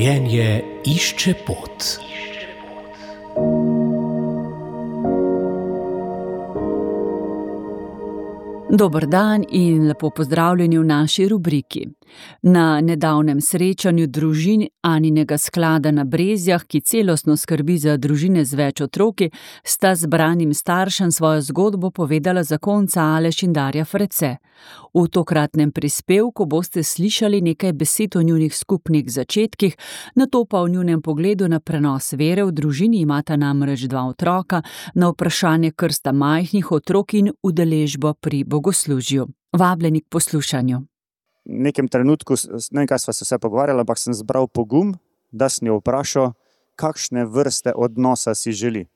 Življenje išče pot. Dober dan in lepo pozdravljeni v naši rubriki. Na nedavnem srečanju družin Aninega sklada na Brezjah, ki celostno skrbi za družine z več otroki, sta zbranim staršem svojo zgodbo povedala zakonca Aleš in Darja Frece. V tokratnem prispevku boste slišali nekaj besed o njunih skupnih začetkih, nato pa o njunem pogledu na prenos vere. V družini imata namreč 2 otroka, na vprašanje krsta majhnih otrok in udeležbo pri bogoslužju. Vabljeni k poslušanju. V nekem trenutku, ne vem, kaj sva se vse pogovarjala, ampak sem zbral pogum, da sem jo vprašal, kakšne vrste odnosa si želi.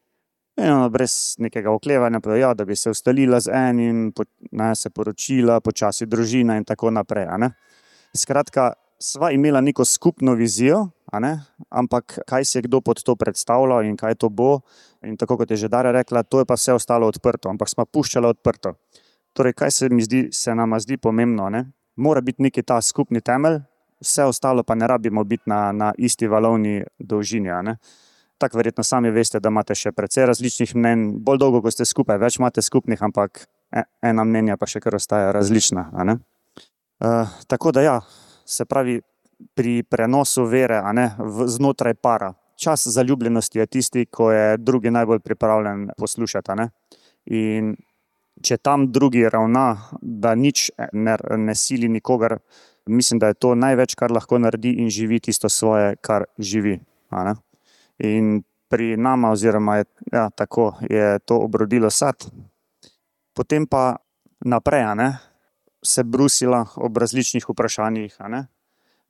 In ona brez nekega oklevanja povedala, da bi se ustalila z enim, se poročila, počasi družina in tako naprej. Skratka, sva imela neko skupno vizijo, ampak kaj si je kdo pod to predstavljal in kaj to bo. In tako kot je že Darja rekla, to je pa vse ostalo odprto, ampak sva puščala odprto. Torej, kaj se nama zdi pomembno, Mora biti neki ta skupni temelj, vse ostalo pa ne rabimo biti na isti valovni dolžini. Tako verjetno sami veste, da imate še precej različnih mnenj, bolj dolgo, ko ste skupaj, več imate skupnih, ampak ena mnenja pa še kar ostaja različna. Tako da se pravi, pri prenosu vere znotraj para. Čas zaljubljenosti je tisti, ko je drugi najbolj pripravljen poslušati. In če tam drugi ravna, da nič ne sili nikogar, mislim, da je to največ, kar lahko naredi in živi tisto svoje, kar živi. In pri nama, oziroma tako je to obrodilo sad. Potem pa naprej, se brusila ob različnih vprašanjih,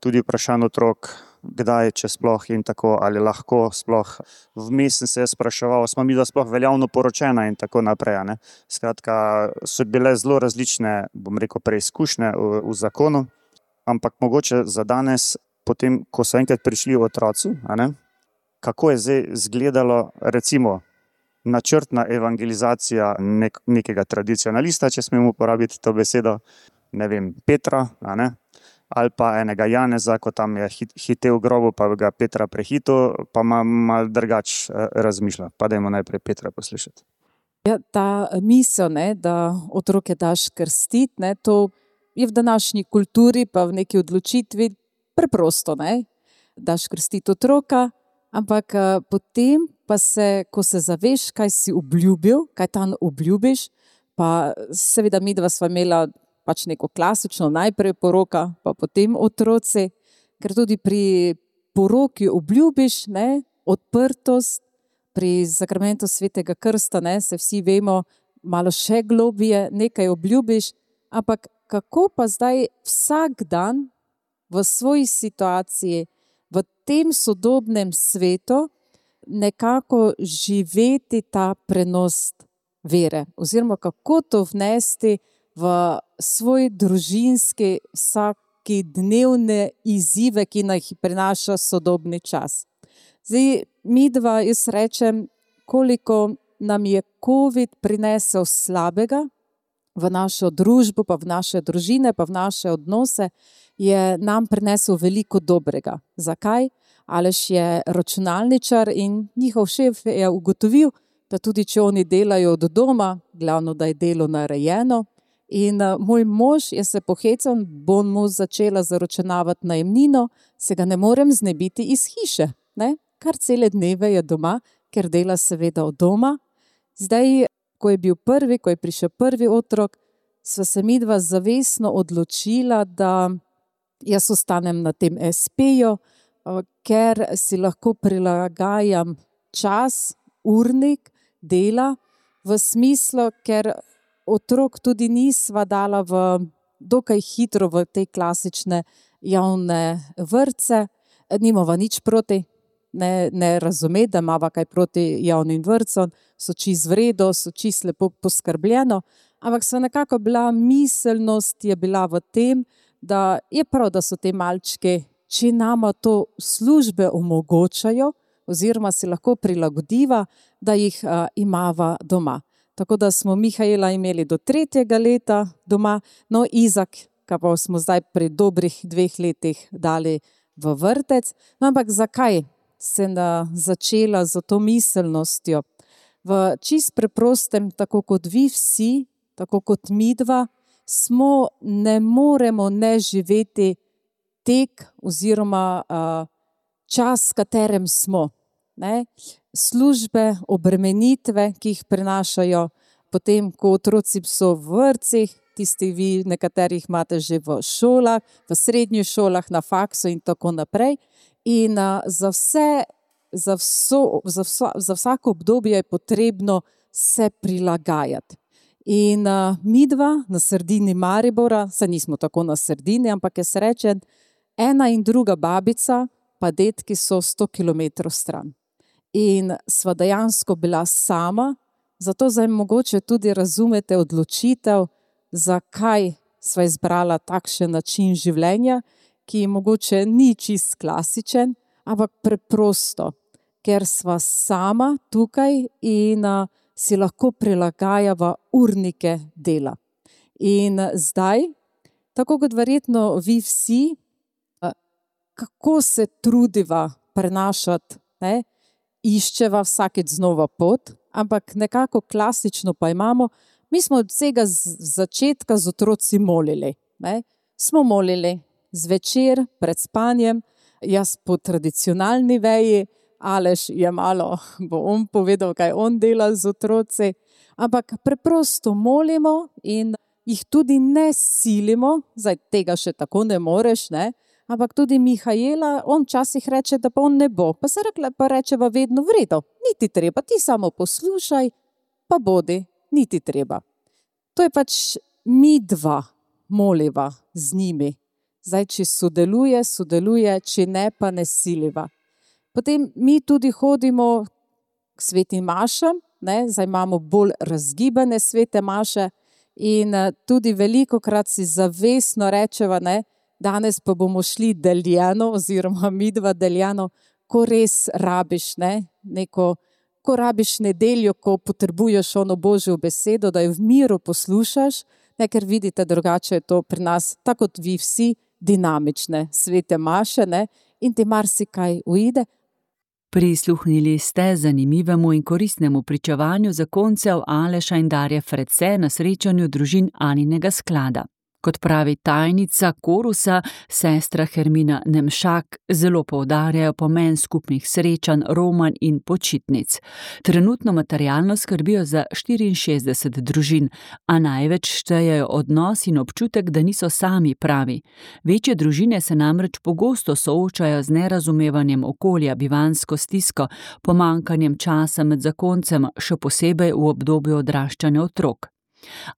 tudi vprašanj otrok, kdaj, če sploh in tako, ali lahko sploh. Vmes sem se spraševal, smo mi da sploh veljavno poročena in tako naprej. Skratka, so bile zelo različne, bom rekel, preizkušnje v zakonu, ampak mogoče za danes, potem, ko so enkrat prišli otroci, kako je zdaj izgledalo, recimo, načrtna evangelizacija nekega tradicionalista, če smemo uporabiti to besedo, ne vem, Petra, ali pa enega Janeza, ko tam je hitel v grobu, pa ga Petra prehitil, pa malo drugače razmišlja. Pa dajmo najprej Petra poslušati. Ta misel, da otroke daš krstiti, to je v današnji kulturi, pa v neki odločitvi preprosto, daš krstiti otroka, ampak potem pa ko se zaveš, kaj si obljubil, kaj tam obljubiš, pa seveda midva sva imela pač neko klasično, najprej poroka, pa potem otroci, ker tudi pri poroki obljubiš, odprtost, pri sakramentu svetega krsta, se vsi vemo, malo še globije, nekaj obljubiš, ampak kako pa zdaj vsak dan v svoji situaciji, v tem sodobnem svetu, nekako živeti ta prenos vere, oziroma kako to vnesti v svoj družinski vsakodnevne izzive, ki nam jih prinaša sodobni čas. Zdaj, midva, jaz rečem, koliko nam je COVID prinesel slabega v našo družbo, pa v naše družine, pa v naše odnose, je nam prinesel veliko dobrega. Zakaj? Aleš je računalničar in njihov šef je ugotovil, da tudi če oni delajo od doma, glavno, da je delo narejeno. In moj mož je se pohecal, bom mu začela zaračunavati najemnino, se ga ne morem znebiti iz hiše. Kar cele dneve je doma, ker dela seveda od doma. Zdaj, ko je prišel prvi otrok, sva se midva zavestno odločila, da jaz ostanem na tem SP-ju, ker si lahko prilagajam čas, urnik dela, v smislu, ker otrok tudi nisva dala dokaj hitro v te klasične javne vrtce. Nimava nič proti, ne razumeti, da imava kaj proti javnim vrtcem, so čisto v redu, so čisto lepo poskrbljeno, ampak nekako miselnost je bila v tem, da je prav, da so te malčke, če nama to službe omogočajo, oziroma si lahko prilagodiva, da jih imava doma. Tako da smo Mihaela imeli do 3. leta doma, no Izak, ki pa smo zdaj pri dobrih 2 letih dali v vrtec. No, ampak zakaj sem začela z to miselnostjo? V čist preprostem, tako kot vi vsi, tako kot midva, ne moremo ne živeti tek oziroma čas, v katerem smo. Ne? Službe, obremenitve, ki jih prinašajo potem, ko otroci so v vrtcih, tisti vi, nekaterih imate že v šolah, v srednjih šolah, na faksu in tako naprej. In za vsako obdobje je potrebno se prilagajati. In midva na sredini Maribora, saj nismo tako na sredini, ampak je srečen, ena in druga babica, pa dedki so 100 kilometrov stran. In sva dejansko bila sama, zato zdaj mogoče tudi razumete odločitev, zakaj sva izbrala takšen način življenja, ki mogoče ni čist klasičen, ampak preprosto, ker sva sama tukaj in si lahko prilagajava urnike dela. In zdaj, tako kot verjetno vi vsi, kako se trudiva prenašati, ne? Iščeva vsakeč znova pot, ampak nekako klasično pa imamo, mi smo od vsega začetka z otroci molili. Ne? Smo molili zvečer pred spanjem, jaz po tradicionalni veji, Aleš je malo, bo on povedal, kaj on dela z otroci, ampak preprosto molimo in jih tudi ne silimo, zdaj tega še tako ne moreš, ne? Ampak tudi Mihajela, on včasih reče, da pa on ne bo, pa se rečeva vedno v redu, ni ti treba, ti samo poslušaj, pa bodi, ni ti treba. To je pač midva moliva z njimi, zdaj če sodeluje, če ne pa ne siliva. Potem mi tudi hodimo k svetim mašam, ne? Zdaj imamo bolj razgibane svete maše in tudi velikokrat si zavestno rečeva, ne? Danes pa bomo šli deljeno oziroma midva deljeno, ko res rabiš, ne? Ko rabiš nedeljo, ko potrebuješ ono Božjo besedo, da jo v miru poslušaš, ne? Ker vidite, drugače je to pri nas, tako kot vi vsi, dinamične svete maše, ne? In ti marsikaj uide. Prisluhnili ste zanimivemu in koristnemu pričevanju zakoncev Aleša in Darje Frecé na srečanju družin Aninega sklada. Kot pravi tajnica korusa, sestra Hermina Nemšak, zelo poudarjajo pomen skupnih srečanj, romanj in počitnic. Trenutno materialno skrbijo za 64 družin, a največ štejejo odnos in občutek, da niso sami pravi. Večje družine se namreč pogosto soočajo z nerazumevanjem okolja, bivanjsko stisko, pomanjkanjem časa med zakoncem, še posebej v obdobju odraščanja otrok.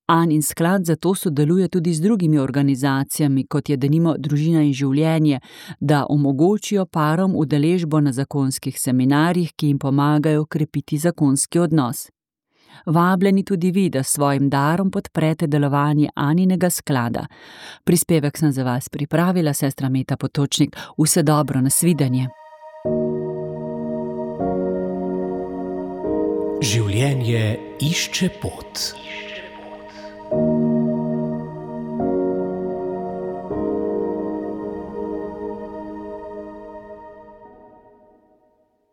Anin sklad zato sodeluje tudi z drugimi organizacijami, kot je denimo Družina in življenje, da omogočijo parom udeležbo na zakonskih seminarjih, ki jim pomagajo krepiti zakonski odnos. Vabljeni tudi vi, da s svojim darom podprete delovanje Aninega sklada. Prispevek sem za vas pripravila sestra Meta Potočnik. Vse dobro, nasvidenje. Življenje išče pot.